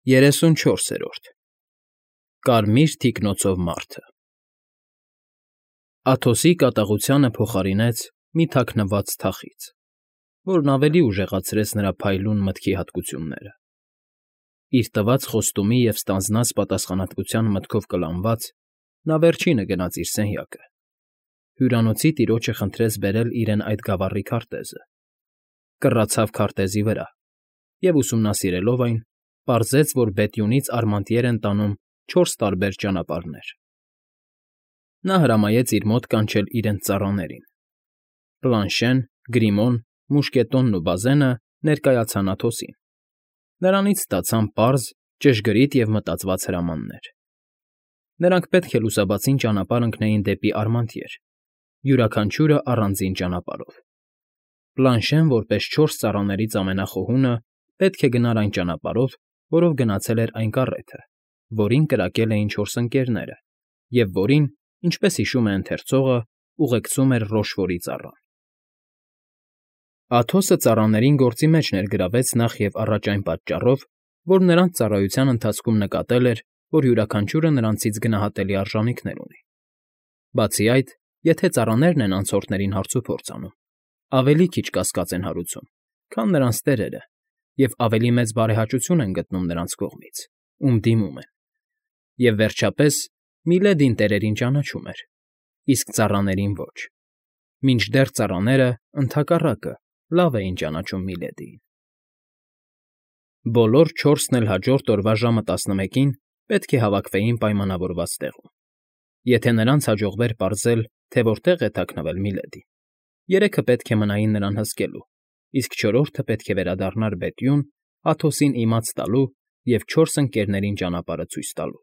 34-րդ Կարմիր թիկնոցով մարդը Աթոսի կատաղությանը փոխարինեց մի թաքնված թախիծ, որն ավելի ուժեղացրեց նրա փայլուն մտքի հատկությունները։ Իր տված խոստումի և ստանձնած պատասխանատվության մտքով կլանված՝ նա վերջինը գնաց իր սենյակը, հյուրանոցի տիրոջը խնդրեց բերել իրեն այդ գավառի քարտեզը, կռացավ քարտեզի վրա և, ուսումնասիրելով այն, պարզեց, որ Բետյունից Արմանտիեր են տանում 4 տարբեր ճանապարհներ։ Նա հրամայեց իր մոտ կանչել իրենց ծառաներին։ Պլանշեն, Գրիմոն, Մուշկետոնն ու Բազենը ներկայացան Աթոսին։ Նրանից ստացան պարզ, ճշգրիտ և մտածված հրամաններ։ Նրանք պետք է լուսաբացին ճանապարհ ընկնեին դեպի Արմանտիեր, յուրաքանչյուրը առանձին ճանապարհով։ Պլանշեն, որպես 4 ծառաներից ամենախոհունը, պետք է գնար այն ճանապարհով, որով գնացել էր այն կառեթը, որին կրակել էին 4 ընկերները, և որին, ինչպես հիշում է ընթերցողը, ուղեկցում էր Ռոշֆորի ծառան։ Աթոսը ծառաներին գործի մեջ ներգրավեց նախ և առաջ այն պատճառով, որ նրանց ծառայության ընթացքում նկատել էր, որ յուրաքանչյուրը նրանցից գնահատելի արժանիքներ ունի։ Բացի այդ, եթե ծառաներն են անցորդներին հարցուփորձ անում, ավելի քիչ կասկած են հարուցում, քան նրանց տերերը, և ավելի մեծ բարեհաճություն են գտնում նրանց կողմից, ում դիմում են։ Եվ, վերջապես, Միլեդին տերերին ճանաչում էր, իսկ ծառաներին ոչ, մինչդեռ ծառաները, ընդհակառակը, լավ էին ճանաչում Միլեդիին։ Բոլոր 4-ն էլ հաջորդ օրվա ժամը 11-ին պետք է հավաքվեին պայմանավորված տեղում։ Եթե նրանց հաջողվեր պարզել, թե որտեղ է թաքնվել Միլեդին, 3-ը պետք է մնային նրան հսկելու, իսկ 4-րդը պետք է վերադառնար Բետյուն, Աթոսին իմաց տալու և 4 ընկերներին ճանապարհը ցույց տալու։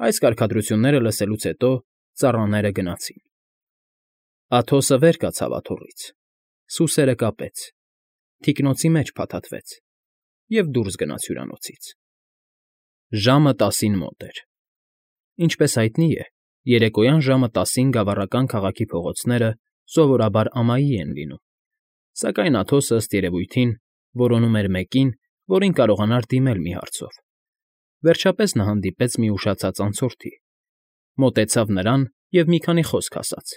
Այս կարգադրությունները լսելուց հետո ծառաները գնացին։ Աթոսը վեր կացավ աթոռից, սուսերը կապեց, թիկնոցի մեջ փաթաթվեց և դուրս գնաց հյուրանոցից։ Ժամը 10-ին մոտ էր։ Ինչպես հայտնի է, երեկոյան ժամը 10-ին գավառական քաղաքի փողոցները սովորաբար ամայի են լինում, սակայն Աթոսը, ըստ երևույթին, որոնում էր մեկին, որին կարողանար դիմել մի հարցով։ Վերջապես նա հանդիպեց մի ուշացած անցորդի, մոտեցավ նրան և մի քանի խոսք ասաց։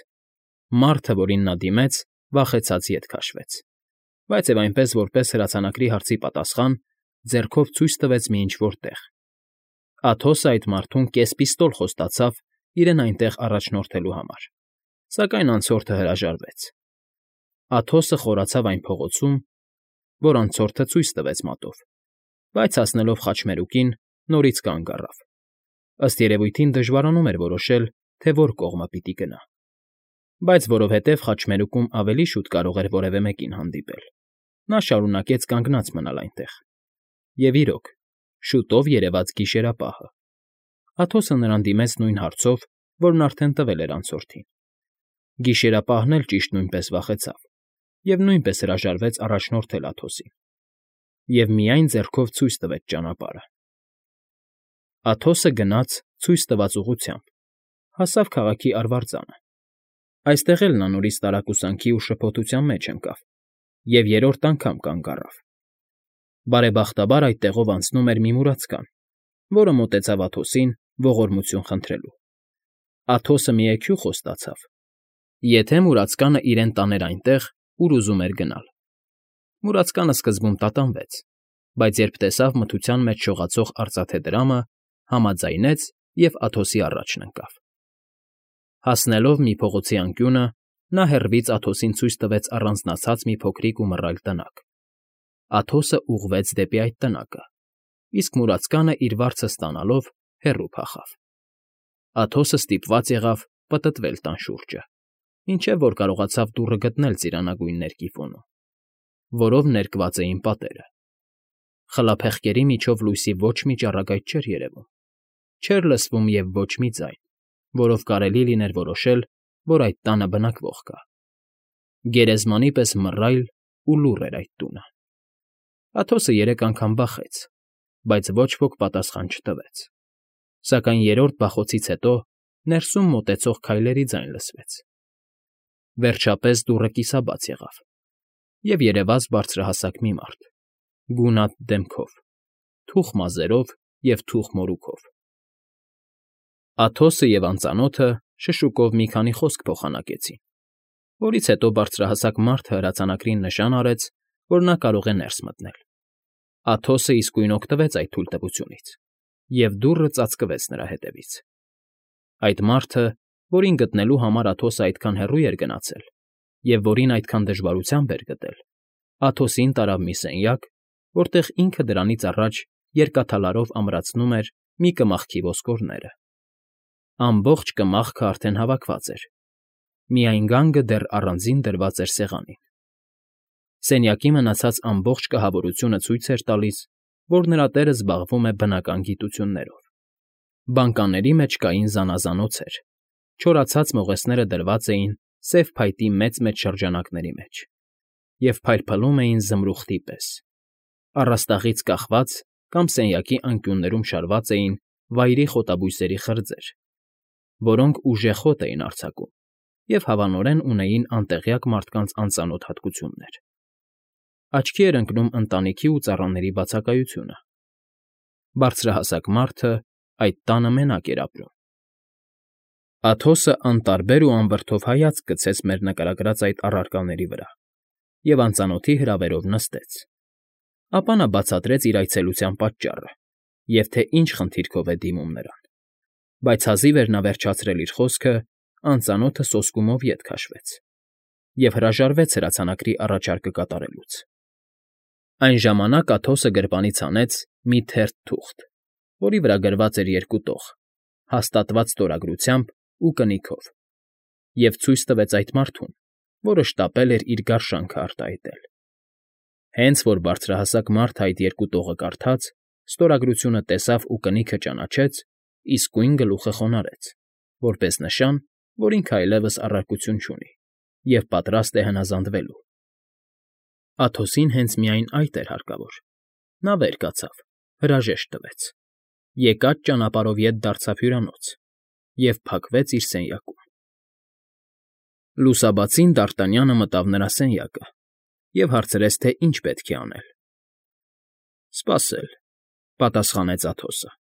Մարդը, որին նա դիմեց, վախեցած ետ քաշվեց, բայց և այնպես, որպես հրացանակրի հարցի պատասխան, ձեռքով ցույց տվեց մի ինչ֊որ տեղ։ Աթոսը այդ մարդուն կես֊պիստոլ խոստացավ իրեն այնտեղ առաջնորդելու համար, սակայն անցորդը հրաժարվեց։ Աթոսը խորացավ այն փողոցում, որ անցորդը ցույց տվեց մատով, բայց հասնելով խաչմերուկին, նորից կանգ առավ։ Ըստ երևույթին դժվարանում էր որոշել, թե որ կողմը պիտի գնա։ Բայց որովհետև խաչմերուկում ավելի շուտ կարող էր որևէ մեկին հանդիպել, նա շարունակեց կանգնած մնալ այնտեղ։ Եվ իրոք, շուտով երևաց գիշերապահը։ Աթոսը նրան դիմեց նույն հարցով, որն արդեն տվել էր անցորդին։ Գիշերապահն էլ ճիշտ նույնպես վախեցավ և նույնպես հրաժարվեց առաջնորդել Աթոսին, և միայն ձեռքով ցույց տվեց ճանապարհը։ Աթոսը գնաց ցույց տված ուղղությամբ, հասավ քաղաքի արվարձանը։ Այստեղ էլ նա նորից տարակուսանքի ու շփոթության մեջ ընկավ և երրորդ անգամ կանգ առավ։ Բարեբախտաբար այդ տեղով անցնում էր մի մուրացկան, որը մոտեցավ Աթոսին ողորմություն խնդրելու։ Աթոսը մի էգյուղ խոստացավ, եթե մուրացկանը իրեն տաներ այնտեղ, ուր ուզում էր գնալ։ Մուրացկանը սկզբում տատանվեց, բայց երբ տեսավ մթության մեջ շողացող արծաթե դրամը, համաձայնեց և Աթոսի առաջն ընկավ։ Հասնելով մի փողոցի անկյունը, նա հեռվից Աթոսին ցույց տվեց առանձնացած մի փոքրիկ ու մռայլ տնակ։ Աթոսը ուղղվեց դեպի այդ տնակը, իսկ մուրացկանը իր վարձը ստանալով հեռու փախավ։ Աթոսը ստիպված եղավ պտտվել տան շուրջը, մինչև որ կարողացավ դուռը գտնել ծիրանագույն ներկի ֆոնում, որով ներկված էին պատերը։ Խլափեղկերի միջով լույսի ոչ մի ճառագայթ չէր երևում, չէր լսվում և ոչ մի ձայն, որով կարելի լիներ որոշել, որ այդ տանը բնակվող կա։ Գերեզմանի պես մռայլ ու լուռ էր այդ տունը։ Աթոսը 3 անգամ բախեց, բայց ոչ ոք պատասխան չտվեց։ Սակայն երրորդ բախոցից հետո ներսում մոտեցող քայլերի ձայն լսվեց։ Վերջապես դուռը կիսաբաց եղավ, և երևաց բարձրահասակ մի մարդ, գունատ դեմքով, թուխ մազերով և թուխ մորուքով։ Աթոսը և անծանոթը շշուկով մի քանի խոսք փոխանակեցին, որից հետո բարձրահասակ մարդը հրացանակրին նշան արեց, որ նա կարող է ներս մտնել։ Աթոսը իսկույն օգտվեց այդ թույլտվությունից, և դուռը ծածկվեց նրա հետևից։ Այդ մարդը, որին գտնելու համար Աթոսը այդքան հեռու էր գնացել, և որին այդքան դժվարությամբ էր գտել, Աթոսին տարավ մի սենյակ, որտեղ ինքը դրանից առաջ երկաթալարով ամրացնում էր մի կմախքի ոսկորները։ Ամբողջ կմախքը արդեն հավաքված էր, միայն գանգը դեռ առանձին դրված էր սեղանին։ Սենյակի մնացած ամբողջ կահավորությունը ցույց էր տալիս, որ նրա տերը զբաղվում է բնական գիտություններով։ Բանկաների մեջ կային զանազանոցեր, չորացած մողեսները դրված էին սև փայտի մեծ-մեծ շրջանակների մեջ և փայլփլում էին զմրուխտի պես։ Առաստաղից կախված կամ սենյակի անկյուններում շարված էին վայրի խոտաբույսերի խրձեր, որոնք ուժեղ հոտ էին արձակում և հավանորեն ունեին անտեղյակ մարդկանց անծանոթ հատկություններ։ Աչքի էր ընկնում ընտանիքի ու ծառաների բացակայությունը։ Բարձրահասակ մարդը այդ տանը մենակ էր ապրում։ Աթոսը անտարբեր ու անվրդով հայացք գցեց մեր նկարագրած այդ առարկաների վրա և անծանոթի հրավերով նստեց։ Ապա նա բացատրեց իր այցելության պատճառը և թե ինչ խնդիրքով է դիմում նրան, բայց հազիվ էր նա վերջացրել իր խոսքը, անծանոթը սոսկումով ետ քաշվեց և հրաժարվեց հրացանակրի առաջարկը կատարելուց։ Այն ժամանակ Աթոսը գրպանից հանեց մի թերթ թուղթ, որի վրա գրված էր երկու տող, հաստատված ստորագրությամբ ու կնիքով, և ցույց տվեց այդ մարդուն, որը շտապել էր իր գարշանքը արտահայտել։ Հենց որ բարձրահասակ մարդը այդ երկու տողը կարդաց, ստորագրությունը տեսավ ու կնիքը ճանաչեց, իսկույն գլուխը խոնարհեց, որպես նշան, որ ինքը այլևս առարկություն չունի և պատրաստ է հնազանդվելու։ Աթոսին հենց միայն այդ էր հարկավոր։ Նա վեր կացավ, հրաժեշտ տվեց, եկած ճանապարհով ետ դարձավ հյուրանոց և փակվեց իր սենյակում։ Լուսաբացին Դ'Արտանյանը մտավ նրա սենյակը և հարցրեց, թե ինչ պետք է անել։ ֊ Սպասել, ֊ պատասխանեց Աթոսը։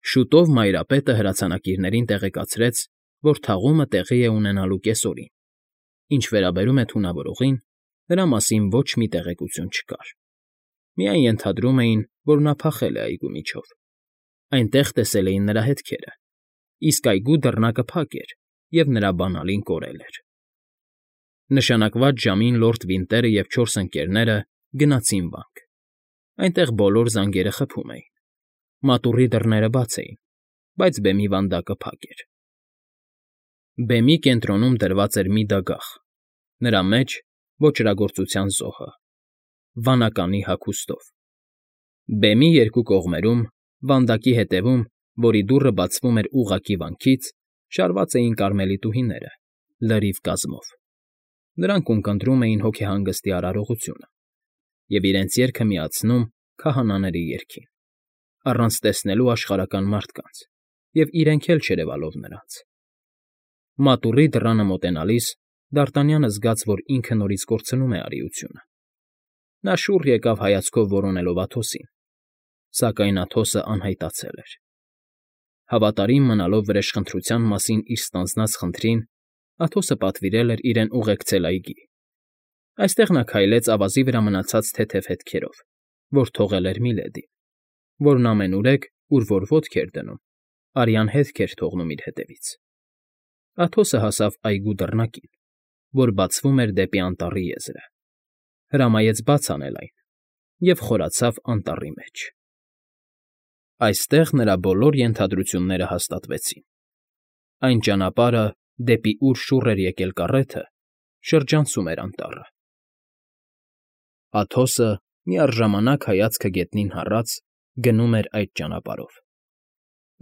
Շուտով մայրապետը հրացանակիրներին տեղեկացրեց, որ թաղումը տեղի է ունենալու կեսօրին։ Ինչ վերաբերում է թունավորողին, նրա մասին ոչ մի տեղեկություն չկար։ Միայն ենթադրում էին, որ նա փախել է այգու միջով։ Այնտեղ տեսել էին նրա հետքերը, իսկ այգու դռնակը փակ էր, և նրա բանալին կորել էր։ Նշանակված ժամին լորդ Վինտերը և 4 ընկերները գնացին վանք։ Այնտեղ բոլոր զանգերը խփում էին։ Մատուռի դռները բաց էին, բայց բեմի վանդակը փակ էր։ Բեմի կենտրոնում դրված էր մի դագաղ, նրա մեջ ոճրագործության զոհը, վանականի հագուստով։ Բեմի երկու կողմերում, վանդակի հետևում, որի դուռը բացվում էր ուղղակի վանքից, շարված էին կարմելիտուհիները, լրիվ կազմով։ Նրանք ունկնդրում էին հոգեհանգստի արարողությունը և իրենց երգը միացնում քահանաների երգին, առանց տեսնելու աշխարհական մարդկանց և իրենք էլ չերևալով նրանց։ Մատուռի դռանը մոտենալիս Դ'Արտանյանը զգաց, որ ինքը նորից կորցնում է արիությունը։ Նա շուռ եկավ հայացքով որոնելով Աթոսին, սակայն Աթոսը անհայտացել էր։ Հավատարիմ մնալով վրեժխնդրության մասին իր ստանձնած խնդրին, Աթոսը պատվիրել էր իրեն ուղեկցել այգի։ Այստեղ նա քայլեց ավազի վրա մնացած թեթև հետքերով, որ թողել էր Միլեդին, որն ամենուրեք, ուր որ ոտք էր դնում, արյան հետք էր թողնում իր հետևից։ Աթոսը հասավ այգու դռնակին, որ բացվում էր դեպի անտառի եզրը, հրամայեց բաց անել այն և խորացավ անտառի մեջ։ Այստեղ նրա բոլոր ենթադրությունները հաստատվեցին։ Այն ճանապարհը, դեպի ուր շուռ էր եկել կառեթը, շրջանցում էր անտառը։ Աթոսը, միառժամանակ հայացքը գետնին հառած, գնում էր այդ ճանապարհով։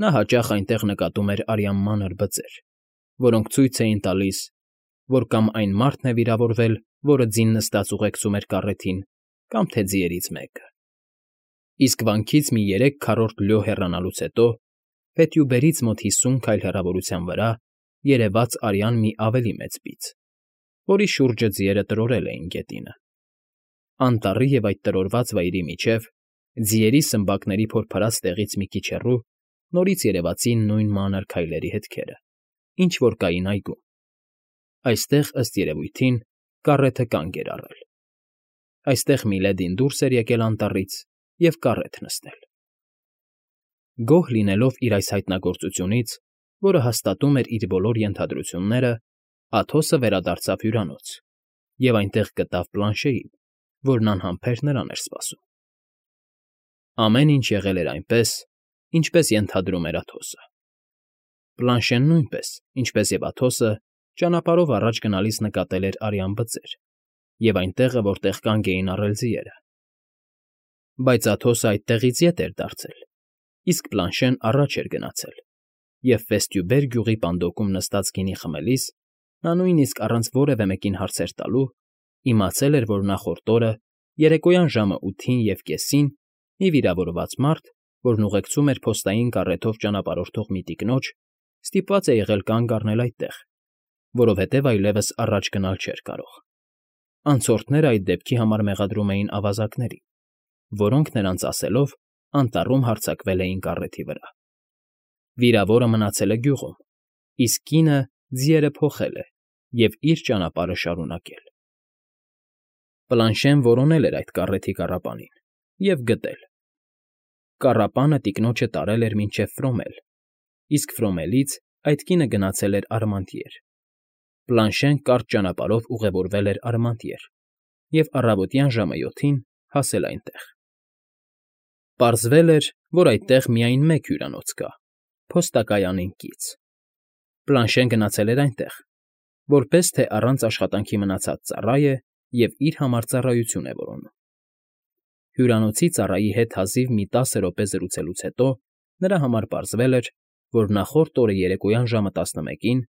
Նա հաճախ այնտեղ նկատում էր արյան մանր բծեր, որոնք ցույց էին տալիս, որ կամ այն մարդն է վիրավորվել, որը ձին նստած ուղեկցում էր կառեթին, կամ թե ձիերից մեկը։ Իսկ վանքից մի 3/4 լյո հեռանալուց հետո, փետյուբերից մոտ 50 քայլ հեռավորության վրա, երևաց արյան մի ավելի մեծ բիծ, որի շուրջը ձիերը տրորել էին գետինը։ Անտառի և այդ տրորված վայրի միջև, Ձիերի սմբակների փորփրած տեղից մի քիչ հեռու նորից երևացին նույն մանր քայլերի հետքերը, ինչ որ կային այգում. այստեղ, ըստ երևույթին, կառեթը կանգ էր առել։ Այստեղ Միլեդին դուրս էր եկել անտառից և կառեթ նստել։ Գոհ լինելով իր այս հայտնագործությունից, որը հաստատում էր իր բոլոր ենթադրությունները, Աթոսը վերադարձավ հյուրանոց և այնտեղ գտավ Պլանշեին, որն անհամբեր նրան էր սպասում։ Ամեն ինչ եղել էր այնպես, ինչպես ենթադրում էր Աթոսը։ Պլանշեն նույնպես, ինչպես և Աթոսը, ճանապարհով առաջ գնալիս նկատել էր արյան բծեր և այն տեղը, որտեղ կանգ էին առել ձիերը։ Բայց Աթոսը այդտեղից ետ էր դարձել, իսկ Պլանշեն առաջ էր գնացել, և Ֆեստյուբեր գյուղի պանդոկում նստած գինի խմելիս նա նույնիսկ առանց որևէ մեկին հարցեր տալու իմացել էր, որ նախորդ օրը, երեկոյան ժամը 8:30-ին մի վիրավորված մարդ, որն ուղեկցում էր փոստային կառեթով ճանապարհորդող մի տիկնոջ, ստիպված է եղել կանգ առնել այդտեղ, որովհետև այլևս առաջ գնալ չէր կարող։ Անցորդները այդ դեպքի համար մեղադրում էին ավազակներին, որոնք նրանց ասելով անտառում հարձակվել էին կառեթի վրա։ Վիրավորը մնացել է գյուղում, իսկ կինը ձիերը փոխել է և իր ճանապարհը շարունակել։ Պլանշեն որոնել էր այդ կառեթի կառապանին և գտել։ Կառապանը տիկնոջը տարել էր մինչև Ֆրոմել, իսկ Ֆրոմելից այդ կինը գնացել էր Արմանտիեր։ Պլանշեն կարճ ճանապարհով ուղևորվել էր Արմանտիեր և առավոտյան ժամը 7-ին հասել այնտեղ։ Պարզվել էր, որ այդտեղ միայն մեկ հյուրանոց կա՝ փոստակայանին կից։ Պլանշեն գնացել էր այնտեղ, որպես թե առանց աշխատանքի մնացած ծառա է և իր համար ծառայություն է որոնում։ Հյուրանոցի ծառայի հետ հազիվ մի 10 րոպե զրուցելուց հետո նրա համար պարզվել էր, որ նախորդ օրը երեկոյան ժամը 11-ին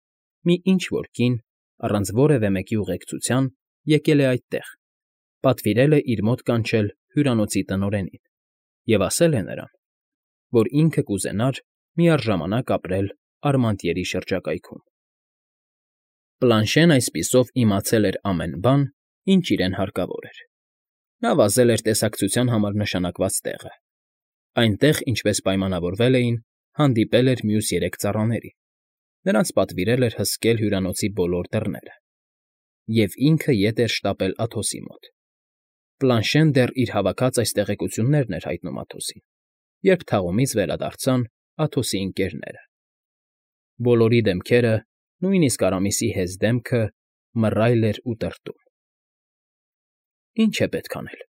մի ինչ֊որ կին, առանց որևէ մեկի ուղեկցության, եկել է այդտեղ, պատվիրել է իր մոտ կանչել հյուրանոցի տնօրենին և ասել է նրան, որ ինքը կուզենար միառժամանակ ապրել Արմանտիերի շրջակայքում։ Պլանշեն այսպիսով իմացել էր ամեն բան, ինչ իրեն հարկավոր էր։ Նա վազել էր տեսակցության համար նշանակված տեղը։ Այնտեղ, ինչպես պայմանավորվել էին, հանդիպել էր մյուս 3 ծառաներին, նրանց պատվիրել էր հսկել հյուրանոցի բոլոր դռները։ Եվ ինքը ետ էր շտապել Աթոսի մոտ։ Պլանշեն դեռ իր հավաքած այս տեղեկություններն էր հայտնում Աթոսին, երբ թաղումից վերադարձան Աթոսի ընկերները։ Բոլորի դեմքերը, նույնիսկ Արամիսի հեզ դեմքը, մռայլ էր ու տրտում։ «Ի՞նչ է պետք անել,֊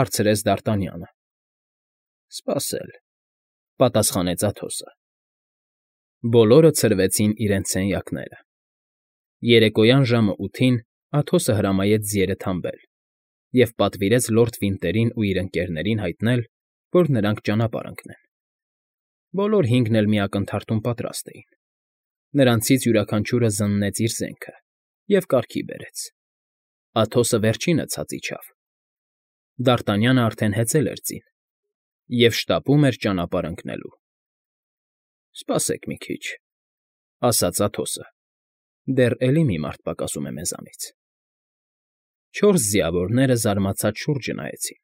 հարցրեց Դարտանյանը։ Սպասել,֊ պատասխանեց Աթոսը։ Բոլորը ցրվեցին իրենց սենյակները։ Երեկոյան ժամը 8-ին Աթոսը հրամայեց ձիերը թամբել և պատվիրեց լորդ Վինտերին ու իր ընկերներին հայտնել, որ նրանք ճանապարհ ընկնեն։ Բոլոր 5-ն էլ մի ակնթարթում պատրաստ էին։ Նրանցից յուրաքանչյուրը զննեց իր զենքը և կարգի բերեց։ Աթոսը վերջինը ցած իջավ։ Դարտանյանը արդեն հեծել էր ձին և շտապում էր ճանապարհ ընկնելու։ «Սպասեք մի քիչ,֊ ասաց Աթոսը,֊ դեռ էլի մի մարդ պակասում է մեզանից»։ 4 ձիավորները զարմացած շուրջը նայեցին։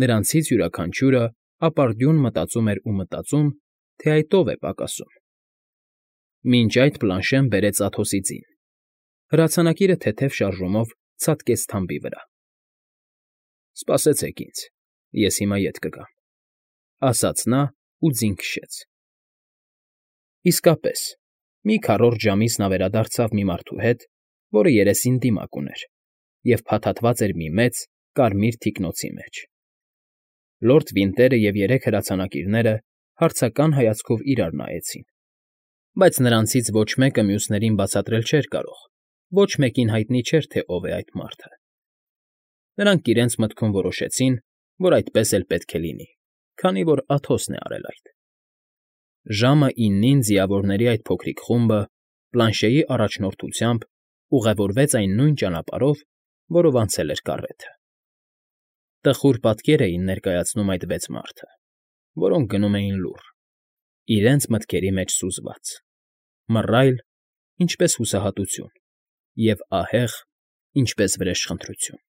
Նրանցից յուրաքանչյուրը ապարդյուն մտածում էր ու մտածում, թե այդ ով է պակասում։ Մինչ այդ Պլանշեն բերեց Աթոսի ձին։ Հրացանակիրը թեթև շարժումով ցատկեց թամբի վրա։ «Սպասեցեք ինձ, ես հիմա ետ կգամ,֊ ասաց նա ու ձին քշեց։ Իսկապես, մի քառորդ ժամից նա վերադարձավ մի մարդու հետ, որը երեսին դիմակ ուներ և փաթաթված էր մի մեծ, կարմիր թիկնոցի մեջ։ Լորդ Վինտերը և 3 հրացանակիրները հարցական հայացքով իրար նայեցին, բայց նրանցից ոչ մեկը մյուսներին բացատրել չէր կարող, ոչ մեկին հայտնի չէր, թե ով է այդ մարդը։ Նրանք իրենց մտքում որոշեցին, որ այդպես էլ պետք է լինի, քանի որ Աթոսն է արել այդ։ Ժամը 9-ին ձիավորների այդ փոքրիկ խումբը, Պլանշեի առաջնորդությամբ, ուղևորվեց այն նույն ճանապարհով, որով անցել էր կառեթը։ Տխուր պատկեր էին ներկայացնում այդ 6 մարդը, որոնք գնում էին լուռ, իրենց մտքերի մեջ սուզված, մռայլ, ինչպես հուսահատություն, և ահեղ, ինչպես վրեժխնդրություն։